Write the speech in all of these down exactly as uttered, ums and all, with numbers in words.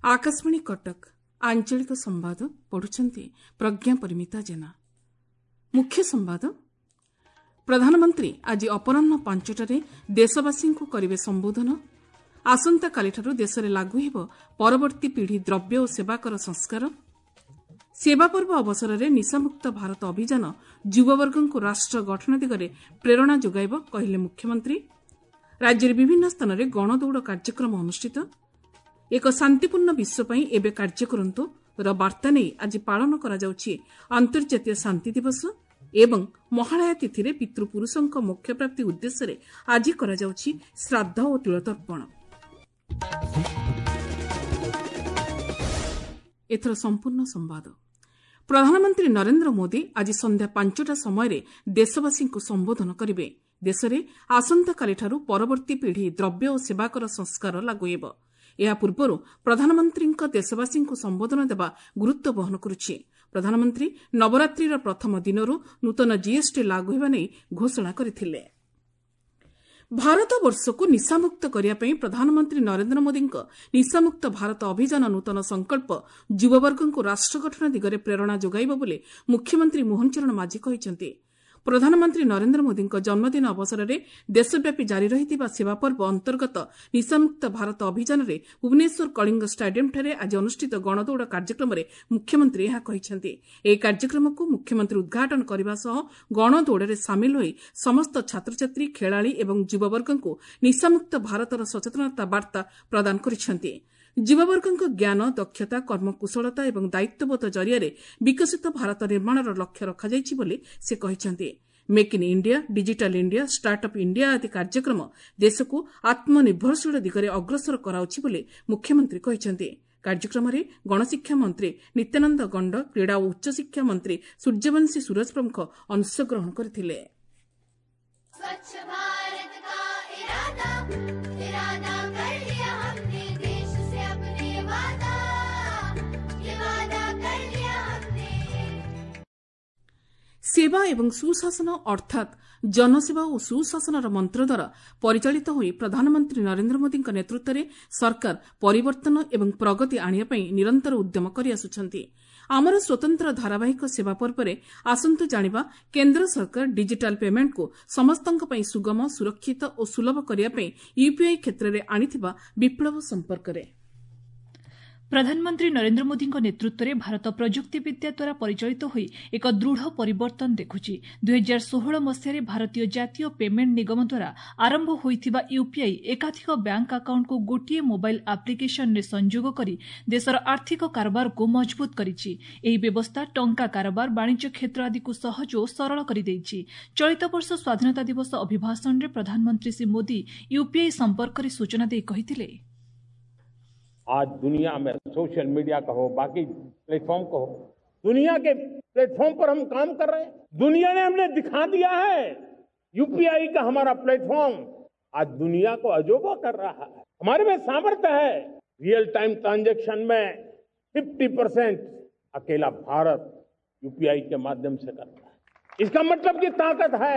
ଆକାଶବାଣୀ କଟକ ଆଞ୍ଚଳିକ ସମ୍ବାଦ ପଢୁଛନ୍ତି ପ୍ରଜ୍ଞା ପରିମିତା ଜେନା। ମୁଖ୍ୟ ସମ୍ବାଦ। ପ୍ରଧାନମନ୍ତ୍ରୀ ଆଜି ଅପରାହ୍ନ ପାଞ୍ଚଟାରେ ଦେଶବାସୀଙ୍କୁ କରିବେ ସମ୍ବୋଧନ। ଆସନ୍ତାକାଲିଠାରୁ ଦେଶରେ ଲାଗୁ ହେବ ପରବର୍ତ୍ତୀ ପିଢ଼ି ଦ୍ରବ୍ୟ ଓ ସେବାକର ସଂସ୍କାର। ସେବା ପର୍ବ ଅବସରରେ ନିଶାମୁକ୍ତ ଭାରତ ଅଭିଯାନ ଯୁବବର୍ଗଙ୍କୁ ରାଷ୍ଟ୍ର ଗଠନ ଦିଗରେ ପ୍ରେରଣା ଯୋଗାଇବ କହିଲେ ମୁଖ୍ୟମନ୍ତ୍ରୀ। ରାଜ୍ୟରେ ବିଭିନ୍ନ ସ୍ଥାନରେ ଗଣଦୌଡ଼ କାର୍ଯ୍ୟକ୍ରମ ଅନୁଷ୍ଠିତ। ଏକ ଶାନ୍ତିପୂର୍ଣ୍ଣ ବିଶ୍ୱ ପାଇଁ ଏବେ କାର୍ଯ୍ୟ କରନ୍ତୁ ର ବାର୍ତ୍ତା ନେଇ ଆଜି ପାଳନ କରାଯାଉଛି ଅନ୍ତର୍ଜାତୀୟ ଶାନ୍ତି ଦିବସ ଏବଂ ମହାଳୟା ତିଥିରେ ପିତୃପୁରୁଷଙ୍କ ମୋକ୍ଷପ୍ରାପ୍ତି ଉଦ୍ଦେଶ୍ୟରେ ଆଜି କରାଯାଉଛି ଶ୍ରାଦ୍ଧ ଓ ତିଳତର୍ପଣ। ଏଥର ସମ୍ପୂର୍ଣ୍ଣ ସମ୍ବାଦ। ପ୍ରଧାନମନ୍ତ୍ରୀ ନରେନ୍ଦ୍ର ମୋଦି ଆଜି ସନ୍ଧ୍ୟା ପାଞ୍ଚଟା ସମୟରେ ଦେଶବାସୀଙ୍କୁ ସମ୍ବୋଧନ କରିବେ। ଦେଶରେ ଆସନ୍ତାକାଲିଠାରୁ ପରବର୍ତ୍ତୀ ପିଢ଼ି ଦ୍ରବ୍ୟ ଓ ସେବାକର ସଂସ୍କାର ଲାଗୁ ହେବ। ଏହା ପୂର୍ବରୁ ପ୍ରଧାନମନ୍ତ୍ରୀଙ୍କ ଦେଶବାସୀଙ୍କୁ ସମ୍ବୋଧନ ଦେବା ଗୁରୁତ୍ୱ ବହନ କରୁଛି। ପ୍ରଧାନମନ୍ତ୍ରୀ ନବରାତ୍ରିର ପ୍ରଥମ ଦିନରୁ ନୂତନ ଜିଏସ୍ଟି ଲାଗୁ ହେବା ନେଇ ଘୋଷଣା କରିଥିଲେ। ଭାରତବର୍ଷକୁ ନିଶାମୁକ୍ତ କରିବା ପାଇଁ ପ୍ରଧାନମନ୍ତ୍ରୀ ନରେନ୍ଦ୍ର ମୋଦିଙ୍କ ନିଶାମୁକ୍ତ ଭାରତ ଅଭିଯାନ ନୂତନ ସଂକଳ୍ପ ଯୁବବର୍ଗଙ୍କୁ ରାଷ୍ଟ୍ର ଗଠନ ଦିଗରେ ପ୍ରେରଣା ଯୋଗାଇବ ବୋଲି ମୁଖ୍ୟମନ୍ତ୍ରୀ ମୋହନ ଚରଣ ମାଝୀ କହିଛନ୍ତି। ପ୍ରଧାନମନ୍ତ୍ରୀ ନରେନ୍ଦ୍ର ମୋଦିଙ୍କ ଜନ୍ମଦିନ ଅବସରରେ ଦେଶବ୍ୟାପୀ ଜାରି ରହିଥିବା ସେବା ପର୍ବ ଅନ୍ତର୍ଗତ ନିଶାମୁକ୍ତ ଭାରତ ଅଭିଯାନରେ ଭୁବନେଶ୍ୱର କଳିଙ୍ଗ ଷ୍ଟାଡିୟମ୍ଠାରେ ଆଜି ଅନୁଷ୍ଠିତ ଗଣଦୌଡ଼ କାର୍ଯ୍ୟକ୍ରମରେ ମୁଖ୍ୟମନ୍ତ୍ରୀ ଏହା କହିଛନ୍ତି। ଏହି କାର୍ଯ୍ୟକ୍ରମକୁ ମୁଖ୍ୟମନ୍ତ୍ରୀ ଉଦ୍ଘାଟନ କରିବା ସହ ଗଣଦୌଡ଼ରେ ସାମିଲ ହୋଇ ସମସ୍ତ ଛାତ୍ରଛାତ୍ରୀ, ଖେଳାଳି ଏବଂ ଯୁବବର୍ଗଙ୍କୁ ନିଶାମୁକ୍ତ ଭାରତର ସଚେତନତା ବାର୍ତ୍ତା ପ୍ରଦାନ କରିଛନ୍ତି। ଯୁବବର୍ଗଙ୍କ ଜ୍ଞାନ, ଦକ୍ଷତା, କର୍ମକୁଶଳତା ଏବଂ ଦାୟିତ୍ୱବୋଧ ଜରିଆରେ ବିକଶିତ ଭାରତ ନିର୍ମାଣର ଲକ୍ଷ୍ୟ ରଖାଯାଇଛି ବୋଲି ସେ କହିଛନ୍ତି। Make in India, digital India, startup India ଆଦି କାର୍ଯ୍ୟକ୍ରମ ଦେଶକୁ ଆତ୍ମନିର୍ଭରଶୀଳ ଦିଗରେ ଅଗ୍ରସର କରାଉଛି ବୋଲି ମୁଖ୍ୟମନ୍ତ୍ରୀ କହିଛନ୍ତି। କାର୍ଯ୍ୟକ୍ରମରେ ଗଣଶିକ୍ଷା ମନ୍ତ୍ରୀ ନିତ୍ୟାନନ୍ଦ ଗଣ୍ଡ, କ୍ରୀଡ଼ା ଓ ଉଚ୍ଚଶିକ୍ଷା ମନ୍ତ୍ରୀ ସୂର୍ଯ୍ୟବଂଶୀ ସୂରଜ ପ୍ରମୁଖ ଅଂଶଗ୍ରହଣ କରିଥିଲେ। स्वच्छ भारत का इरादा इरादा कर लिया हमने देश से अपने वादा ये वादा कर लिया हमने। ସେବା ଏବଂ ସୁଶାସନ ଅର୍ଥାତ୍ ଜନସେବା ଓ ସୁଶାସନର ମନ୍ତ୍ର ଦ୍ୱାରା ପରିଚାଳିତ ହୋଇ ପ୍ରଧାନମନ୍ତ୍ରୀ ନରେନ୍ଦ୍ର ମୋଦିଙ୍କ ନେତୃତ୍ୱରେ ସରକାର ପରିବର୍ତ୍ତନ ଏବଂ ପ୍ରଗତି ଆଣିବା ପାଇଁ ନିରନ୍ତର ଉଦ୍ୟମ କରିଆସୁଛନ୍ତି। ଆମର ସ୍ୱତନ୍ତ୍ର ଧାରାବାହିକ ସେବା ପର୍ବରେ ଆସନ୍ତୁ ଜାଣିବା କେନ୍ଦ୍ର ସରକାର ଡିଜିଟାଲ ପେମେଣ୍ଟକୁ ସମସ୍ତଙ୍କ ପାଇଁ ସୁଗମ, ସୁରକ୍ଷିତ ଓ ସୁଲଭ କରିବା ପାଇଁ ୟୁପିଆଇ କ୍ଷେତ୍ରରେ ଆଣିଥିବା ବିପ୍ଳବ ସମ୍ପର୍କରେ। ପ୍ରଧାନମନ୍ତ୍ରୀ ନରେନ୍ଦ୍ର ମୋଦିଙ୍କ ନେତୃତ୍ୱରେ ଭାରତ ପ୍ରଯୁକ୍ତିବିଦ୍ୟା ଦ୍ୱାରା ପରିଚାଳିତ ହୋଇ ଏକ ଦୃଢ଼ ପରିବର୍ତ୍ତନ ଦେଖୁଛି। ଦୁଇହଜାର ଷୋହଳ ମସିହାରେ ଭାରତୀୟ ଜାତୀୟ ପେମେଣ୍ଟ ନିଗମ ଦ୍ୱାରା ଆରମ୍ଭ ହୋଇଥିବା ୟୁପିଆଇ ଏକାଧିକ ବ୍ୟାଙ୍କ ଆକାଉଣ୍ଟକୁ ଗୋଟିଏ ମୋବାଇଲ ଆପ୍ଲିକେସନରେ ସଂଯୋଗ କରି ଦେଶର ଆର୍ଥିକ କାରବାରକୁ ମଜବୁତ କରିଛି। ଏହି ବ୍ୟବସ୍ଥା ଟଙ୍କା କାରବାର, ବାଣିଜ୍ୟ କ୍ଷେତ୍ର ଆଦିକୁ ସହଜ ଓ ସରଳ କରିଦେଇଛି। ଚଳିତ ବର୍ଷ ସ୍ୱାଧୀନତା ଦିବସ ଅଭିଭାଷଣରେ ପ୍ରଧାନମନ୍ତ୍ରୀ ଶ୍ରୀ ମୋଦି ୟୁପିଆଇ ସମ୍ପର୍କରେ ସୂଚନା ଦେଇ କହିଥିଲେ, आज दुनिया में सोशल मीडिया कहो, बाकी प्लेटफॉर्म कहो, दुनिया के प्लेटफॉर्म पर हम काम कर रहे हैं। दुनिया ने हमने दिखा दिया है, यूपीआई का हमारा प्लेटफॉर्म आज दुनिया को अजोबा कर रहा है। हमारे में सामर्थ्य है। रियल टाइम ट्रांजैक्शन में पचास परसेंट अकेला भारत यूपीआई के माध्यम से कर रहा है। इसका मतलब कि ताकत है।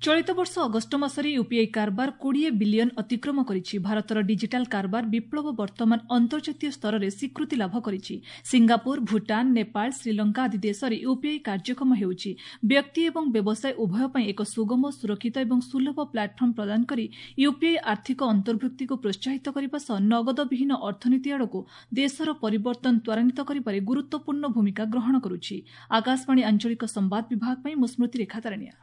ଚଳିତ ବର୍ଷ ଅଗଷ୍ଟ ମାସରେ ୟୁପିଆଇ କାରବାର କୋଡ଼ିଏ ବିଲିୟନ ଅତିକ୍ରମ କରିଛି। ଭାରତର ଡିଜିଟାଲ କାରବାର ବିପ୍ଳବ ବର୍ତ୍ତମାନ ଅନ୍ତର୍ଜାତୀୟ ସ୍ତରରେ ସ୍ୱୀକୃତି ଲାଭ କରିଛି। ସିଙ୍ଗାପୁର, ଭୁଟାନ, ନେପାଳ, ଶ୍ରୀଲଙ୍କା ଆଦି ଦେଶରେ ୟୁପିଆଇ କାର୍ଯ୍ୟକ୍ଷମ ହେଉଛି। ବ୍ୟକ୍ତି ଏବଂ ବ୍ୟବସାୟ ଉଭୟ ପାଇଁ ଏକ ସୁଗମ, ସୁରକ୍ଷିତ ଏବଂ ସୁଲଭ ପ୍ଲାଟଫର୍ମ ପ୍ରଦାନ କରି ୟୁପିଆଇ ଆର୍ଥିକ ଅନ୍ତର୍ଭୁକ୍ତିକୁ ପ୍ରୋତ୍ସାହିତ କରିବା ସହ ନଗଦବିହୀନ ଅର୍ଥନୀତି ଆଡ଼କୁ ଦେଶର ପରିବର୍ତ୍ତନ ତ୍ୱରାନ୍ୱିତ କରିବାରେ ଗୁରୁତ୍ୱପୂର୍ଣ୍ଣ ଭୂମିକା ଗ୍ରହଣ କରୁଛି। ଆକାଶବାଣୀ ଆଞ୍ଚଳିକ ସମ୍ବାଦ ବିଭାଗ ପାଇଁ ମୁଁ ସ୍ମୃତିରେଖା ତାରଣିଆ।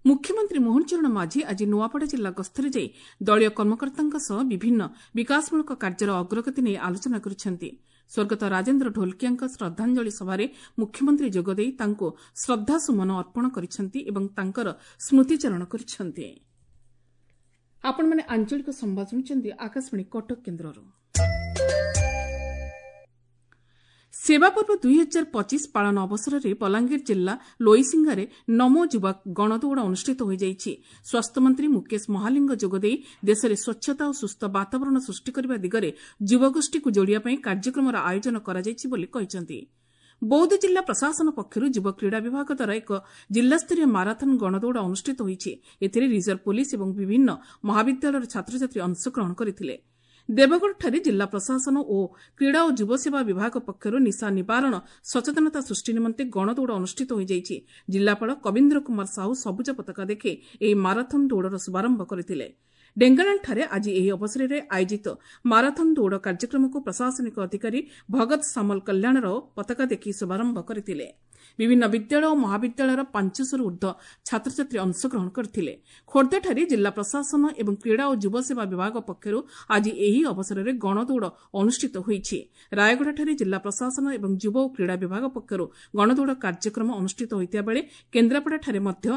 ମୁଖ୍ୟମନ୍ତ୍ରୀ ମୋହନ ଚରଣ ମାଝୀ ଆଜି ନୂଆପଡ଼ା ଜିଲ୍ଲା ଗସ୍ତରେ ଯାଇ ଦଳୀୟ କର୍ମକର୍ତ୍ତାଙ୍କ ସହ ବିଭିନ୍ନ ବିକାଶମୂଳକ କାର୍ଯ୍ୟର ଅଗ୍ରଗତି ନେଇ ଆଲୋଚନା କରିଛନ୍ତି। ସ୍ୱର୍ଗତ ରାଜେନ୍ଦ୍ର ଢୋଲକିଆଙ୍କ ଶ୍ରଦ୍ଧାଞ୍ଜଳି ସଭାରେ ମୁଖ୍ୟମନ୍ତ୍ରୀ ଯୋଗଦେଇ ତାଙ୍କୁ ଶ୍ରଦ୍ଧାସୁମନ ଅର୍ପଣ କରିଛନ୍ତି ଏବଂ ତାଙ୍କର ସ୍ମୃତିଚାରଣ କରିଛନ୍ତି। ଆପଣମାନେ ଆଞ୍ଚଳିକ ସମ୍ବାଦ ଶୁଣୁଛନ୍ତି ଆକାଶବାଣୀ କଟକ କେନ୍ଦ୍ରରୁ। ସେବା ପର୍ବ ଦୁଇହଜାର ପଚିଶ ପାଳନ ଅବସରରେ ବଲାଙ୍ଗୀର ଜିଲ୍ଲା ଲୋଇସିଂହାରେ ନମୋ ଯୁବା ଗଣଦୌଡ଼ ଅନୁଷ୍ଠିତ ହୋଇଯାଇଛି। ସ୍ୱାସ୍ଥ୍ୟମନ୍ତ୍ରୀ ମୁକେଶ ମହାଲିଙ୍ଗ ଯୋଗଦେଇ ଦେଶରେ ସ୍ୱଚ୍ଛତା ଓ ସୁସ୍ଥ ବାତାବରଣ ସୃଷ୍ଟି କରିବା ଦିଗରେ ଯୁବଗୋଷ୍ଠୀକୁ ଯୋଡ଼ିବା ପାଇଁ କାର୍ଯ୍ୟକ୍ରମର ଆୟୋଜନ କରାଯାଇଛି ବୋଲି କହିଛନ୍ତି। ବୌଦ୍ଧ ଜିଲ୍ଲା ପ୍ରଶାସନ ପକ୍ଷରୁ ଯୁବ କ୍ରୀଡ଼ା ବିଭାଗ ଦ୍ୱାରା ଏକ ଜିଲ୍ଲାସ୍ତରୀୟ ମାରାଥନ୍ ଗଣଦୌଡ଼ ଅନୁଷ୍ଠିତ ହୋଇଛି। ଏଥିରେ ରିଜର୍ଭ ପୋଲିସ ଏବଂ ବିଭିନ୍ନ ମହାବିଦ୍ୟାଳୟର ଛାତ୍ରଛାତ୍ରୀ ଅଂଶଗ୍ରହଣ କରିଥିଲେ। ଦେବଗଡ଼ଠାରେ ଜିଲ୍ଲା ପ୍ରଶାସନ ଓ କ୍ରୀଡ଼ା ଓ ଯୁବସେବା ବିଭାଗ ପକ୍ଷରୁ ନିଶା ନିବାରଣ ସଚେତନତା ସୃଷ୍ଟି ନିମନ୍ତେ ଗଣଦୌଡ଼ ଅନୁଷ୍ଠିତ ହୋଇଯାଇଛି। ଜିଲ୍ଲାପାଳ କବୀନ୍ଦ୍ର କୁମାର ସାହୁ ସବୁଜ ପତାକା ଦେଖାଇ ଏହି ମାରାଥନ୍ ଦୌଡ଼ର ଶୁଭାରମ୍ଭ କରିଥିଲେ। ଡେଙ୍କାନାଳଠାରେ ଆଜି ଏହି ଅବସରରେ ଆୟୋଜିତ ମାରାଥନ୍ ଦୌଡ଼ କାର୍ଯ୍ୟକ୍ରମକୁ ପ୍ରଶାସନିକ ଅଧିକାରୀ ଭଗତ ସାମଲ କଲ୍ୟାଣ ରାଓ ପତାକା ଦେଖାଇ ଶୁଭାରମ୍ଭ କରିଥିଲେ। ବିଭିନ୍ନ ବିଦ୍ୟାଳୟ ଓ ମହାବିଦ୍ୟାଳୟର ପାଞ୍ଚଶହରୁ ଊର୍ଦ୍ଧ୍ୱ ଛାତ୍ରଛାତ୍ରୀ ଅଂଶଗ୍ରହଣ କରିଥିଲେ। ଖୋର୍ଦ୍ଧାଠାରେ ଜିଲ୍ଲା ପ୍ରଶାସନ ଏବଂ କ୍ରୀଡ଼ା ଓ ଯୁବସେବା ବିଭାଗ ପକ୍ଷରୁ ଆଜି ଏହି ଅବସରରେ ଗଣଦୌଡ଼ ଅନୁଷ୍ଠିତ ହୋଇଛି। ରାୟଗଡ଼ାଠାରେ ଜିଲ୍ଲା ପ୍ରଶାସନ ଏବଂ ଯୁବ ଓ କ୍ରୀଡ଼ା ବିଭାଗ ପକ୍ଷରୁ ଗଣଦୌଡ଼ କାର୍ଯ୍ୟକ୍ରମ ଅନୁଷ୍ଠିତ ହୋଇଥିବା ବେଳେ କେନ୍ଦ୍ରାପଡ଼ାଠାରେ ମଧ୍ୟ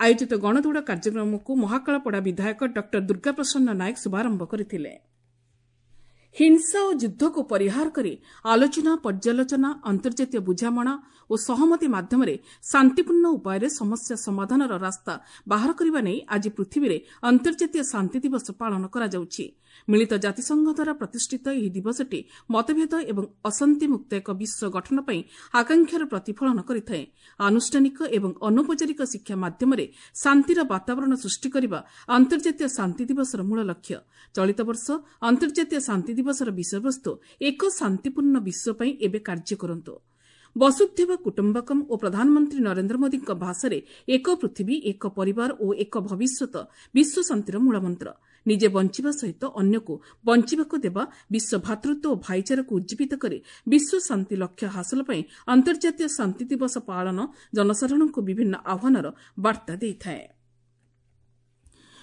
ଆୟୋଜିତ ଗଣଦୌଡ଼ କାର୍ଯ୍ୟକ୍ରମକୁ ମହାକାଳପଡ଼ା ବିଧାୟକ ଡକ୍ଟର ଦୁର୍ଗାପ୍ରସନ୍ନ ନାୟକ ଶୁଭାରମ୍ଭ କରିଥିଲେ। ହିଂସା ଓ ଯୁଦ୍ଧକୁ ପରିହାର କରି ଆଲୋଚନା, ପର୍ଯ୍ୟାଲୋଚନା, ଅନ୍ତର୍ଜାତୀୟ ବୁଝାମଣା ଓ ସହମତି ମାଧ୍ୟମରେ ଶାନ୍ତିପୂର୍ଣ୍ଣ ଉପାୟରେ ସମସ୍ୟା ସମାଧାନର ରାସ୍ତା ବାହାର କରିବା ନେଇ ଆଜି ପୃଥିବୀରେ ଅନ୍ତର୍ଜାତୀୟ ଶାନ୍ତି ଦିବସ ପାଳନ କରାଯାଉଛି। ମିଳିତ ଜାତିସଂଘ ଦ୍ୱାରା ପ୍ରତିଷ୍ଠିତ ଏହି ଦିବସଟି ମତଭେଦ ଏବଂ ଅଶାନ୍ତିମୁକ୍ତ ଏକ ବିଶ୍ୱ ଗଠନ ପାଇଁ ଆକାଂକ୍ଷାର ପ୍ରତିଫଳନ କରିଥାଏ। ଆନୁଷ୍ଠାନିକ ଏବଂ ଅନୌପଚାରିକ ଶିକ୍ଷା ମାଧ୍ୟମରେ ଶାନ୍ତିର ବାତାବରଣ ସୃଷ୍ଟି କରିବା ଅନ୍ତର୍ଜାତୀୟ ଶାନ୍ତି ଦିବସର ମୂଳ ଲକ୍ଷ୍ୟ। ଚଳିତ ବର୍ଷ ଅନ୍ତର୍ଜାତୀୟ ଶାନ୍ତି ଦିବସର ବିଷୟବସ୍ତୁ ଏକ ଶାନ୍ତିପୂର୍ଣ୍ଣ ବିଶ୍ୱ ପାଇଁ ଏବେ କାର୍ଯ୍ୟ କରନ୍ତୁ। ବସୁଧୈବ କୁଟୁମ୍ବକମ୍ ଓ ପ୍ରଧାନମନ୍ତ୍ରୀ ନରେନ୍ଦ୍ର ମୋଦିଙ୍କ ଭାଷାରେ ଏକ ପୃଥିବୀ, ଏକ ପରିବାର ଓ ଏକ ଭବିଷ୍ୟତ ବିଶ୍ୱ ଶାନ୍ତିର ମୂଳମନ୍ତ୍ର। ନିଜେ ବଞ୍ଚିବା ସହିତ ଅନ୍ୟକୁ ବଞ୍ଚିବାକୁ ଦେବା, ବିଶ୍ୱ ଭ୍ରାତୃତ୍ୱ ଓ ଭାଇଚାରାକୁ ଉଜ୍ଜୀବିତ କରି ବିଶ୍ୱ ଶାନ୍ତି ଲକ୍ଷ୍ୟ ହାସଲ ପାଇଁ ଅନ୍ତର୍ଜାତୀୟ ଶାନ୍ତି ଦିବସ ପାଳନ ଜନସାଧାରଣଙ୍କୁ ବିଭିନ୍ନ ଆହ୍ୱାନର ବାର୍ତ୍ତା ଦେଇଥାଏ।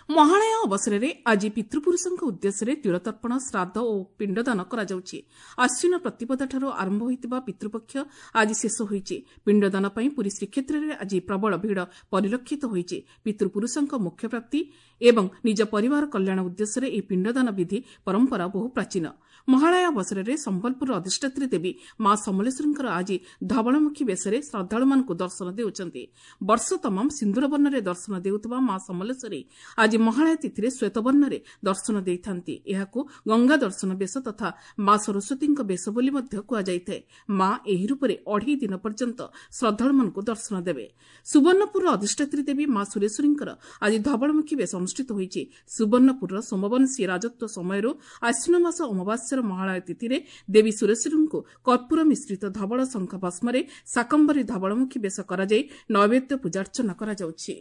ମହାଳୟା ଅବସରରେ ଆଜି ପିତୃପୁରୁଷଙ୍କ ଉଦ୍ଦେଶ୍ୟରେ ତିଳତର୍ପଣ, ଶ୍ରାଦ୍ଧ ଓ ପିଣ୍ଡଦାନ କରାଯାଉଛି। ଆଶ୍ୱିନ ପ୍ରତିପଦାଠାରୁ ଆରମ୍ଭ ହୋଇଥିବା ପିତୃପକ୍ଷ ଆଜି ଶେଷ ହୋଇଛି। ପିଣ୍ଡଦାନ ପାଇଁ ପୁରୀ ଶ୍ରୀକ୍ଷେତ୍ରରେ ଆଜି ପ୍ରବଳ ଭିଡ଼ ପରିଲକ୍ଷିତ ହୋଇଛି। ପିତୃପୁରୁଷଙ୍କ ମୋକ୍ଷପ୍ରାପ୍ତି ଏବଂ ନିଜ ପରିବାର କଲ୍ୟାଣ ଉଦ୍ଦେଶ୍ୟରେ ଏହି ପିଣ୍ଡଦାନ ବିଧି ପରମ୍ପରା ବହୁ ପ୍ରାଚୀନ। ମହାଳୟା ଅବସରରେ ସମ୍ବଲପୁରର ଅଧିଷ୍ଠାତ୍ରୀ ଦେବୀ ମା ସମଲେଶ୍ୱରୀଙ୍କର ଆଜି ଧବଳମୁଖୀ ବେଶରେ ଶ୍ରଦ୍ଧାଳୁମାନଙ୍କୁ ଦର୍ଶନ ଦେଉଛନ୍ତି। ବର୍ଷ ତମାମ ସିନ୍ଦୁର ବର୍ଣ୍ଣରେ ଦର୍ଶନ ଦେଉଥିବା ମା ସମଲେଶ୍ୱରୀ ଆଜି ମହାଳୟା ତିଥିରେ ଶ୍ୱେତବର୍ଣ୍ଣରେ ଦର୍ଶନ ଦେଇଥାନ୍ତି। ଏହାକୁ ଗଙ୍ଗା ଦର୍ଶନ ବେଶ ତଥା ମା ସରସ୍ୱତୀଙ୍କ ବେଶ ବୋଲି ମଧ୍ୟ କୁହାଯାଇଥାଏ। ମା ଏହି ରୂପରେ ଅଢ଼େଇ ଦିନ ପର୍ଯ୍ୟନ୍ତ ଶ୍ରଦ୍ଧାଳୁମାନଙ୍କୁ ଦର୍ଶନ ଦେବେ। ସୁବର୍ଣ୍ଣପୁରର ଅଧିଷ୍ଠାତ୍ରୀ ଦେବୀ ମା ସୁରେଶ୍ୱରୀଙ୍କର ଆଜି ଧବଳମୁଖୀ ବେଶ ଅନୁଷ୍ଠିତ ହୋଇଛି। ସୁବର୍ଣ୍ଣପୁରର ସୋମବଂଶୀ ରାଜତ୍ୱ ସମୟରୁ ଆଶ୍ୱିନ ମାସ ଅମାବାସ୍ୟାର ମହାଳୟା ତିଥିରେ ଦେବୀ ସୁରେଶ୍ୱରୀଙ୍କୁ କର୍ପୂର ମିଶ୍ରିତ ଧବଳ ଶଙ୍ଖ ଭସ୍ମରେ ଶାକମ୍ଭରୀ ଧବଳମୁଖୀ ବେଶ କରାଯାଇ ନୈବେଦ୍ୟ ପୂଜାର୍ଚ୍ଚନା କରାଯାଉଛି।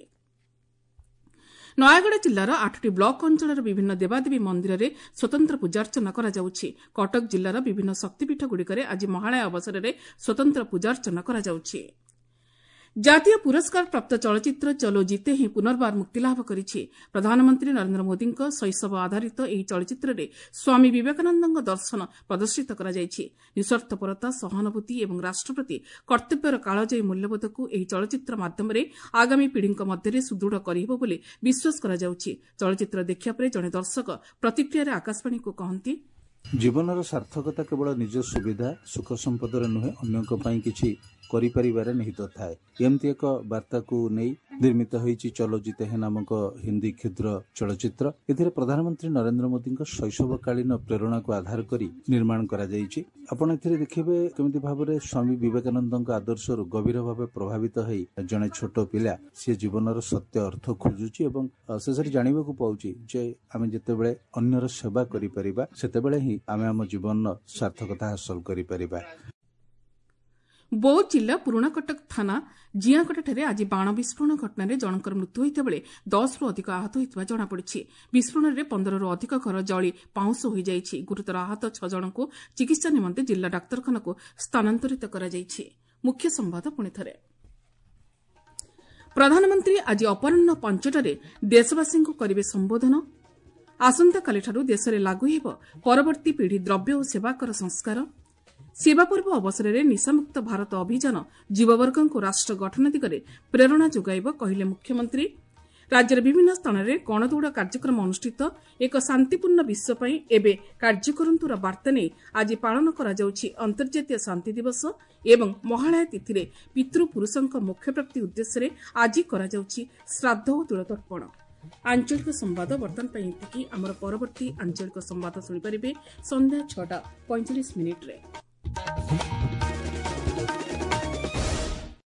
ନୟାଗଡ଼ ଜିଲ୍ଲାର ଆଠଟି ବ୍ଲକ ଅଞ୍ଚଳର ବିଭିନ୍ନ ଦେବାଦେବୀ ମନ୍ଦିରରେ ସ୍ୱତନ୍ତ୍ର ପୂଜାର୍ଚ୍ଚନା କରାଯାଉଛି। କଟକ ଜିଲ୍ଲାର ବିଭିନ୍ନ ଶକ୍ତିପୀଠଗୁଡ଼ିକରେ ଆଜି ମହାଳୟା ଅବସରରେ ସ୍ୱତନ୍ତ୍ର ପୂଜାର୍ଚ୍ଚନା କରାଯାଉଛି। ଜାତୀୟ ପୁରସ୍କାର ପ୍ରାପ୍ତ ଚଳଚ୍ଚିତ୍ର ଚଲୋ ଜିତେ ହିଁ ପୁନର୍ବାର ମୁକ୍ତିଲାଭ କରିଛି। ପ୍ରଧାନମନ୍ତ୍ରୀ ନରେନ୍ଦ୍ର ମୋଦିଙ୍କ ଶୈଶବ ଆଧାରିତ ଏହି ଚଳଚ୍ଚିତ୍ରରେ ସ୍ୱାମୀ ବିବେକାନନ୍ଦଙ୍କ ଦର୍ଶନ ପ୍ରଦର୍ଶିତ କରାଯାଇଛି। ନିଃସ୍ୱାର୍ଥପରତା, ସହାନୁଭୂତି ଏବଂ ରାଷ୍ଟ୍ର ପ୍ରତି କର୍ତ୍ତବ୍ୟର କାଳଜୟୀ ମୂଲ୍ୟବୋଧକୁ ଏହି ଚଳଚ୍ଚିତ୍ର ମାଧ୍ୟମରେ ଆଗାମୀ ପିଢ଼ିଙ୍କ ମଧ୍ୟରେ ସୁଦୃଢ଼ କରିହେବ ବୋଲି ବିଶ୍ୱାସ କରାଯାଉଛି। ଚଳଚ୍ଚିତ୍ର ଦେଖିବା ପରେ ଜଣେ ଦର୍ଶକ ପ୍ରତିକ୍ରିୟାରେ ଆକାଶବାଣୀକୁ କହନ୍ତି, ଜୀବନର ସାର୍ଥକତା କେବଳ ନିଜ ସୁବିଧା ସୁଖ ସମ୍ପଦରେ ନୁହେଁ, ଅନ୍ୟଙ୍କ ପାଇଁ କିଛି କରିପାରିବାରେ ନିହିତ ଥାଏ। ଏମିତି ଏକ ବାର୍ତ୍ତାକୁ ନେଇ ନିର୍ମିତ ହୋଇଛି ଚଲୋ ଜିତେ ହେ ନାମକ ହିନ୍ଦୀ କ୍ଷୁଦ୍ର ଚଳଚ୍ଚିତ୍ର। ଏଥିରେ ପ୍ରଧାନମନ୍ତ୍ରୀ ନରେନ୍ଦ୍ର ମୋଦିଙ୍କ ଶୈଶବକାଳୀନ ପ୍ରେରଣାକୁ ଆଧାର କରି ନିର୍ମାଣ କରାଯାଇଛି। ଆପଣ ଏଥିରେ ଦେଖିବେ କେମିତି ଭାବରେ ସ୍ୱାମୀ ବିବେକାନନ୍ଦଙ୍କ ଆଦର୍ଶରୁ ଗଭୀର ଭାବେ ପ୍ରଭାବିତ ହୋଇ ଜଣେ ଛୋଟ ପିଲା ସିଏ ଜୀବନର ସତ୍ୟ ଅର୍ଥ ଖୋଜୁଛି ଏବଂ ଶେଷରେ ଜାଣିବାକୁ ପାଉଛି ଯେ ଆମେ ଯେତେବେଳେ ଅନ୍ୟର ସେବା କରିପାରିବା ସେତେବେଳେ ହିଁ ଆମେ ଆମ ଜୀବନର ସାର୍ଥକତା ହାସଲ କରିପାରିବା। ବୌଦ୍ଧ ଜିଲ୍ଲା ପୁରୁଣାକଟକ ଥାନା ଜିଆଁକଟାଠାରେ ଆଜି ବାଣ ବିସ୍ଫୋରଣ ଘଟଣାରେ ଜଣଙ୍କର ମୃତ୍ୟୁ ହୋଇଥିବା ବେଳେ ଦଶରୁ ଅଧିକ ଆହତ ହୋଇଥିବା ଜଣାପଡ଼ିଛି। ବିସ୍ଫୋରଣରେ ପନ୍ଦରରୁ ଅଧିକ ଘର ଜଳି ପାଉଁଶ ହୋଇଯାଇଛି। ଗୁରୁତର ଆହତ ଛଅ ଜଣଙ୍କୁ ଚିକିତ୍ସା ନିମନ୍ତେ ଜିଲ୍ଲା ଡାକ୍ତରଖାନାକୁ ସ୍ଥାନାନ୍ତରିତ କରାଯାଇଛି। ମୁଖ୍ୟ ସମ୍ବାଦ ପୁଣିଥରେ, ପ୍ରଧାନମନ୍ତ୍ରୀ ଆଜି ଅପରାହ୍ନ ପାଞ୍ଚଟାରେ ଦେଶବାସୀଙ୍କୁ କରିବେ ସମ୍ବୋଧନ। ଆସନ୍ତାକାଲିଠାରୁ ଦେଶରେ ଲାଗୁ ହେବ ପରବର୍ତ୍ତୀ ପିଢ଼ି ଦ୍ରବ୍ୟ ଓ ସେବା କର ସଂସ୍କାର। ସେବା ପର୍ବ ଅବସରରେ ନିଶାମୁକ୍ତ ଭାରତ ଅଭିଯାନ ଯୁବବର୍ଗଙ୍କୁ ରାଷ୍ଟ୍ର ଗଠନ ଦିଗରେ ପ୍ରେରଣା ଯୋଗାଇବ କହିଲେ ମୁଖ୍ୟମନ୍ତ୍ରୀ। ରାଜ୍ୟର ବିଭିନ୍ନ ସ୍ଥାନରେ ଗଣଦୌଡ଼ କାର୍ଯ୍ୟକ୍ରମ ଅନୁଷ୍ଠିତ। ଏକ ଶାନ୍ତିପୂର୍ଣ୍ଣ ବିଶ୍ୱ ପାଇଁ ଏବେ କାର୍ଯ୍ୟ କରନ୍ତୁର ବାର୍ତ୍ତା ନେଇ ଆଜି ପାଳନ କରାଯାଉଛି ଅନ୍ତର୍ଜାତୀୟ ଶାନ୍ତି ଦିବସ ଏବଂ ମହାଳୟା ତିଥିରେ ପିତୃପୁରୁଷଙ୍କ ମୋକ୍ଷପ୍ରାପ୍ତି ଉଦ୍ଦେଶ୍ୟରେ ଆଜି କରାଯାଉଛି ଶ୍ରାଦ୍ଧ ଓ ତିଳତର୍ପଣ। ଆଞ୍ଚଳିକ ସମ୍ବାଦ ବର୍ତ୍ତମାନ ପାଇଁ ଏତିକି। ଆମର ପରବର୍ତ୍ତୀ ଆଞ୍ଚଳିକ ସମ୍ବାଦ ଶୁଣିପାରିବେ ସନ୍ଧ୍ୟା ଛଅଟା ପଇଁଚାଳିଶ ମିନିଟ୍ରେ।